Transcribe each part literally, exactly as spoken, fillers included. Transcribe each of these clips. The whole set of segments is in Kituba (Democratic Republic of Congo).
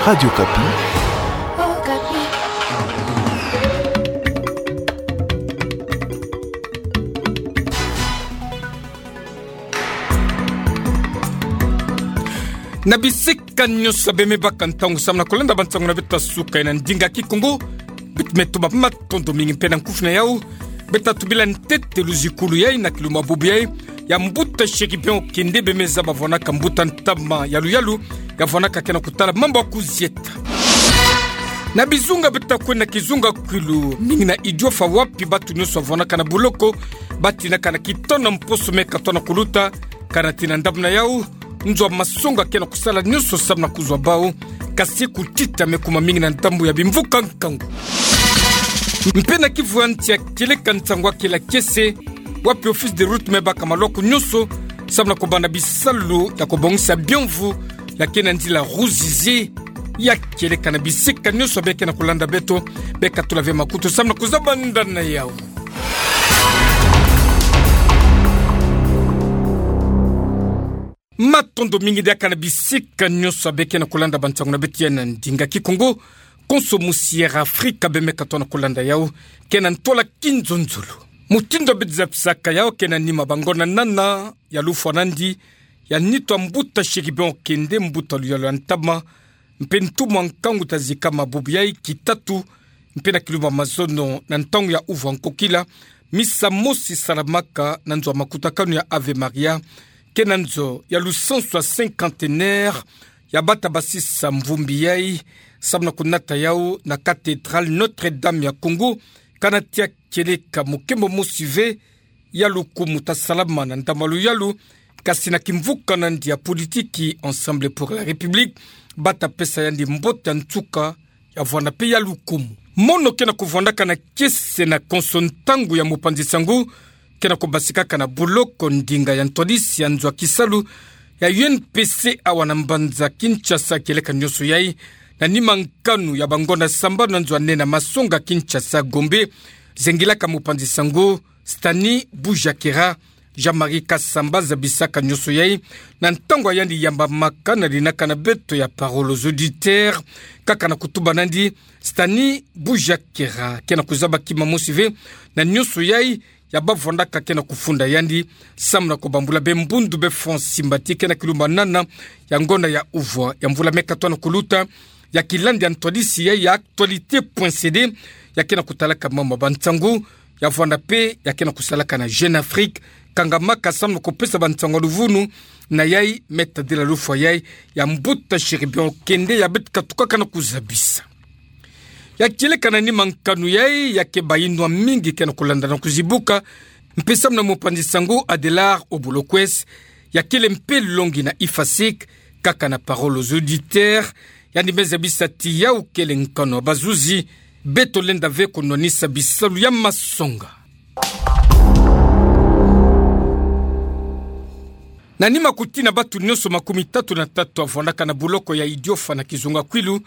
Radio Okapi. Na bisika nyonso beme baka ntangu samu na kolanda bansango na beto ya suka na ndinga Kikongo. Beto me tuba matondo mingi mpe na nkufi na yau. Beto tubila ntete luzikulu yai na kilumbu bubu yai ya mbuta Chérubin Okende beme zaba vwanaka mbuta ntama ya luyalu ya vwanaka ke na kutala mambu ya kuzieta. Na bizunga beto kwe na kizunga kwilu, mingi na Idiofa wapi batu nyonso vwanaka na buloko, batinaka na kitono mposo me katono kuluta, kana tina ndambu na yau, nzo ya masonga ke na kusala nyonso samu na kuzwa bau, kasi kutita me kuma mingi na ndambu ya bimvuka nkangu. Mpe na kivu ya nsi ya kieleka nsangu ya kele kiese, wapi office de route me baka maloko nyonso, samu na kubanda bisalu ya kubongisa biomvu, ya ke na nzila Ruzizi, ya kieleka na bisika nyonso beke na kulanda beto, beka tula ve makutu samu na kuzaba ndani na yau. Matondo mingi diaka na bisika nyonso beke na kulanda bansango na beto ya na ndinga Kikongo, konso musi Air Afrika beme katono kulanda yau, ke na ntwala kinzonzolo. Mutindu beto zabisaka yau ke na nima bangonda nana ya lufwa nandi, ya nitu ya mbuta Chérubin Okende mbuta luyalu ya ntama, mpe ntumwa nkangu tazikama bubu yai kitatu, mpe na kilumbu ya mazono na ntangu ya uvu ya nkokila, misa mosi salamaka na nzo ya makutakanu ya Ave Maria, ke na nzo ya lusansu ya cinquantenaire ya bata basisa mvumbi yai, samu na kunata yau na cathédrale Notre-Dame ya Congo, kana tia kieleka mukembo mosi ve ya lukumu tasalama na ndambu ya luyalu, kasi na kimvuka nandi ya politiki Ensemble pour la République, bata pesa yandi mbote ya nsuka ya vwanda mpe ya lukumu. Mono ke na kuvwandaka na kiese na konso ntangu ya mupanzi sango, ke na kubasikaka na buloko ndinga ya ntwadisi ya nzo ya kisalu ya U N P C awa na mbanza Kinshasa kieleka nyonso yai, na nima nkanu ya bangonda sambanu na nzo ya nene ya masonga Kinshasa Gombe, zengilaka mupanzi sango Stani Bujakera, Jean-Marie Kasamba zabisaka nyonso yai, na ntangu ya yandi yambamaka na linaka na beto ya Parole aux auditeurs, kaka na kutuba nandi, Stani Bujakera ke na kuzaba kima mosi ve na nyonso yai ya bavwandaka ke na kufunda yandi, samu na kubambula be mbundu be France Simbati ke na kilumbu ya nana ya ngonda ya uvu ya mvula me katono kuluta, ya kilandi ya ntwadisi yai ya actualité point C D, ya ke na kutalaka mambu ya bansango, ya vwanda mpe ya ke na kusalaka na Jeune Afrique, kangamaka samu na kupesa bansango ya luvunu na yai, me tadila lufwa yai ya mbuta Chérubin Okende ya beto katukaka na kuzabisa. Ya kieleka na nima nkanu yai ya ke bayinwa mingi ke na kulanda na kuzibuka, mpe samu na mupanzi sango Adelard Obolokwes, ya kele mpe longi na IFASIC, kaka na Parole aux auditeurs, yandi me zabisa ti yau kele nkanu ya bazuzi, beto lenda ve kunwanisa bisalu ya masonga. Na nima kuti na batu nyonso makumi tatu na tatu ya vwandaka na buloko ya Idiofa na kizunga kwilu,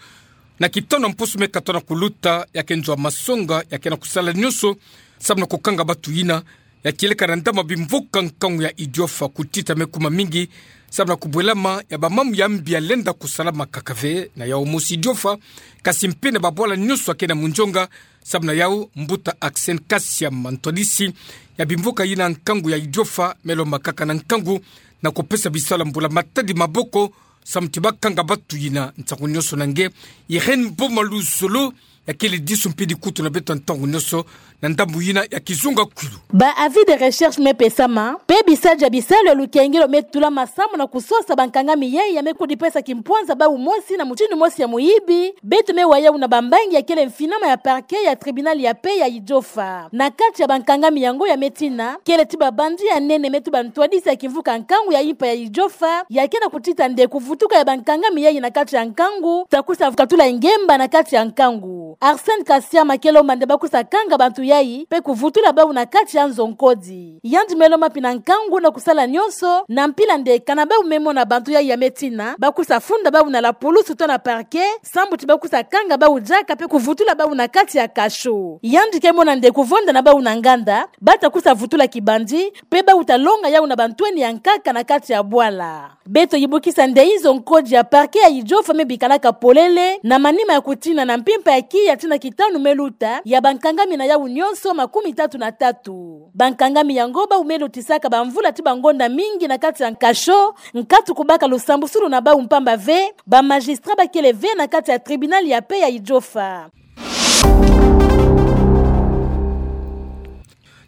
na kitono mposo me katono kuluta ya ke nzo ya masonga ya ke na kusala nyonso samu na kukanga batu yina, ya kieleka na ndambu ya bimvuka nkangu ya Idiofa kutita me kuma mingi, samu na kubwelama ya bamambu ya mbi ya lenda kusalama kaka ve na yau mosi Idiofa, kasi mpe na babwala nyonso ya ke na munzonga, samu na yau mbuta Axen Kasiama ntwadisi ya bimvuka yina nkangu ya Idiofa me lombakaka na nkangu na kupesa bisalu ya mbula matadi maboko, samu ti bakanga batu yina nsangu nyonso na nge. Irène Boma Luzolo, ya kele disu mpe dikutu na beto ntangu nyonso na ndambu yina ya kizunga kwilu. Ba avis de recherche me pesama, mpe bisalu ya bisalu ya lukengelo me tulama samu na kusosa bankangami yai ya me kudipesa kimpwanza bau mosi na mutindu mosi ya muyibi, beto me wa yau na bambangi ya kele mfinama ya parquet ya tribunal ya paix ya Idiofa. Na kati ya bankangami yango ya me tina, kele ti babanzi ya nene me tuba ntwadisi ya kimvuka nkangu ya impa ya Idiofa, ya ke na kutita nde kuvutuka ya bankangami yai na kati ya nkangu, ta kusa katula ngemba na kati ya nkangu. Arsène Kasiama ke lomba nde ba kusa kanga bantu yayi, mpe kuvutula bawu na kati ya nzo nkodi. Yandi me lomba pi na nkangu na kusala nyonso, na mpila nde kana bawu me mona bantu yayi ya me tina, ba kusa funda bawu na la pulusu to na parquet, sambu ti ba kusa kanga bawu diaka mpe kuvutula bawu na kati ya cachot. Yandi ke mona nde kuvonda na bawu na nganda, ba ta kusa vutula kibandi, mpe bawu ta longa yawu na bantwenia nkaka na kati ya bwala. Beto yibukisa nde inzo nkodi ya parquet ya Idjofa me bikalaka polele, na manima ya kutina na mpimpa ya kiya ti na kitanu me luta, ya bankangami na yawu nyonso makumi tatu na tatu. Bankangami yango bawu me lutisaka bamvula ti bangonda mingi na kati ya cachot, nkatu kubaka lusambusulu na bawu mpamba ve, ba magistrat ba kele ve na kati ya tribunal ya paix ya Idjofa.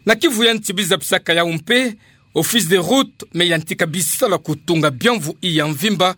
Na kivu ya nsi biza bisaka yawu mpe, Office des routes me yantika bisalu ya kutunga biamvu iya mvimba,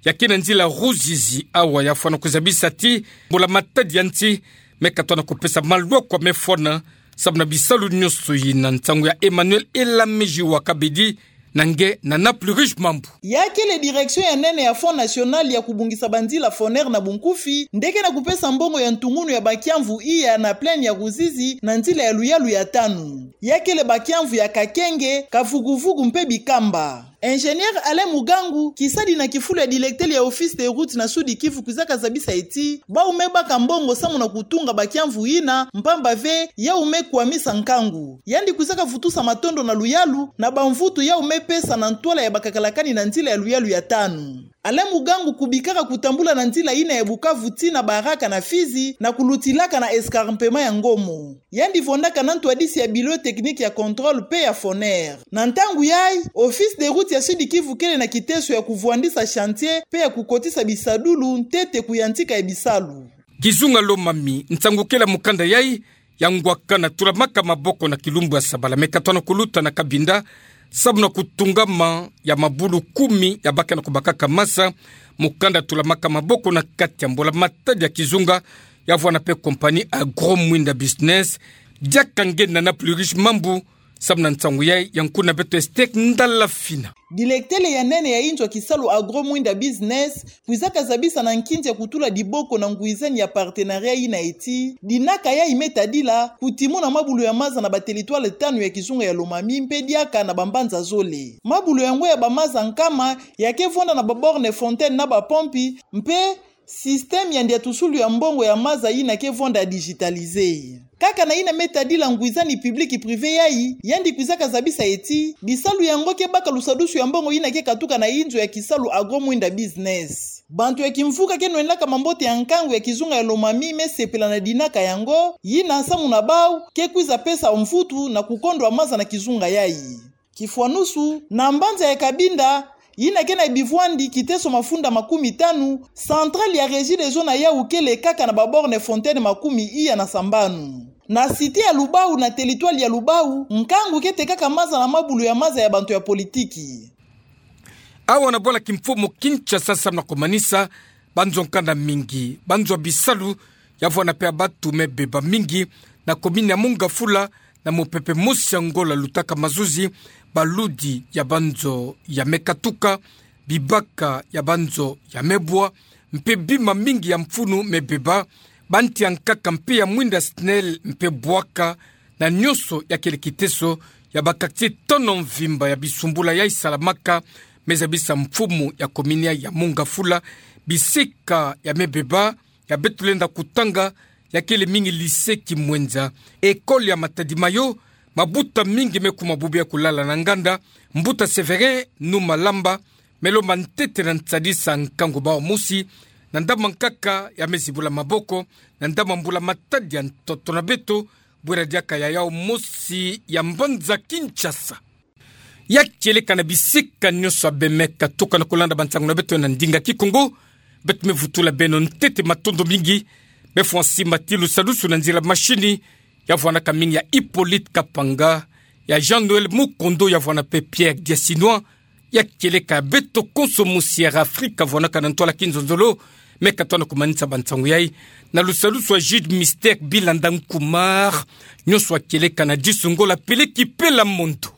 ya ke na nzila Ruzizi awa ya fwana kuzabisa ti, mbula matadi ya nsi, me katona kupesa malwakwa me fwana, samu na bisalu nyonso yina. Nsangu ya Emmanuel Elamiji wa Kabedi, na nge na Nana Plurish Mambu. Ya kele direction ya nene ya Fonds National ya kubongisa banzila, FONER na bunkufi, nde ke na kupesa mbongo ya ntungunu ya bakiamvu iya na plaine ya Ruzizi na nzila ya luyalu ya tanu. Ya kele bakiamvu ya Kakenge, Kavuguvugu mpe Bikamba. Ingénieur Alain Mugangu, kisadi na kifulu ya directeur ya Office des routes na Sud-Kivu, kwiza kazabisa ti, bawu me baka mbongo samu na kutunga bakiamvu yina, mpamba ve, yawu me kwamisa nkangu. Yandi kwiza kavutusa matondo na luyalu, na bamvutu yawu me pesa na ntwala ya bakakalakani na nzila ya luyalu ya tanu. Alain Mugangu kubikaka kutambula na nzila yina ya Bukavu tii na Baraka na Fizi, na kulutilaka na escarpement ya Ngomo. Yandi vondaka na ntwadisi ya Bureau technique ya contrôle mpe ya FONER. Na ntangu yayi, Office des routes ya Sud-Kivu kele na kiteso ya kuvwandisa chantier mpe ya kukotisa bisadulu ntete kuyantika ya bisalu. Kizunga Lomami, nsangu kele ya mukanda yayi, ya ngwakana tulamaka maboko na kilumbu ya sabala me katona kuluta na Kabinda, samu na kutungama ya mabulu kumi ya baka na kubakaka masa, mukanda tulamaka maboko na kati ya mbula matadi ya kizunga, ya vwana mpe compagnie Agro Mwinda Business, diaka nge na Nana Plurish Mambu, samu na nsangu yayi, ya nkuna beto Estek Ndala Fina. Directeur ya nene ya inzo ya kisalu Agro Mwinda Business, kwiza kazabisa na nkinzi ya kutula diboko na ngwizani ya partenariat yina ti, dinaka yayi me tadila, kutimuna mabulu ya maza na ba territoire tanu ya kizunga ya Lomami mpe diaka na bambanza zole. Mabulu yango ya bamaza nkama, ya ke vonda na ba borne fontaine na bapompi, mpe système ya ndiatusulu ya mbongo ya maza yina ke vonda digitalisé. Kaka na yina me tadila ngwizani public privé yayi, yandi kwiza kazabisa ti, bisalu yango ke baka lusadusu ya mbongo yina ke katuka na inzo ya kisalu Agro Mwinda Business. Bantu ya kimvuka ke nwendaka mambote ya nkangu ya kizunga ya Lomami me sepela na dinaka yango, yina samu na bawu, ke kwiza pesa mvutu na kukondwa maza na kizunga yayi. Kifwanusu, na mbanza ya Kabinda, yina ke na bivwandi kiteso mafunda makumi tanu, centrale ya Regideso na yawu kele kaka na ba borne fontaine makumi iya na sambanu. Na cité ya Lubahu na territoire ya Lubahu, nkangu ke tekaka maza na mabulu ya maza ya bantu ya politiki. Awa na bwala kimfumu Kinshasa samu na kumanisa banzo nkanda mingi, banzo ya bisalu, ya vwana mpe ya batu me beba mingi, na commune ya Mungafula, na mupepe mosi ya Ngola lutaka mazuzi, baludi ya banzo ya me katuka, bibaka ya banzo ya me bwa, mpe bima mingi ya mfunu me beba, banti ya nkaka mpe ya mwinda SNEL mpe bwaka, na nyonso ya kele kiteso ya ba quartier tono mvimba ya bisumbula yayi salamaka, me zabisa mfumu ya commune ya Mungafula, bisika ya me beba, ya beto lenda kutanga, ya kele mingi lycée Kimwenza, école ya Matadi Mayo, mabuta mingi me kuma bubu ya kulala na nganda. Mbuta Sévérin Numalamba, me lomba ntete na nsadisa nkangu bawu mosi, na ndambu nkaka ya me zibula maboko, na ndambu mbula matadi ya ntoto na beto, bwera diaka ya yawu mosi ya mbanza Kinshasa. Ya kieleka na bisika nyonso ya bemeka tuka na kulanda bansangu na beto na ndinga Kikongo, beto me vutula beno ntete matondo mingi. Beno fwa nsimba ti lusadusu na nzila mashini, ya vwanaka mingi ya Hippolyte Kapanga, ya Jean-Noël Mukondo, ya vwana mpe Pierre Diasinois, ya kieleka beto konso musi ya Afrika vwanaka na ntwala kinzonzolo, me katona kumanisa bansangu yayi, na lusadusu ya Jude Mystère Bilanda Nkumar, nyonso ya kieleka na disu Ngola peleki pela mondo.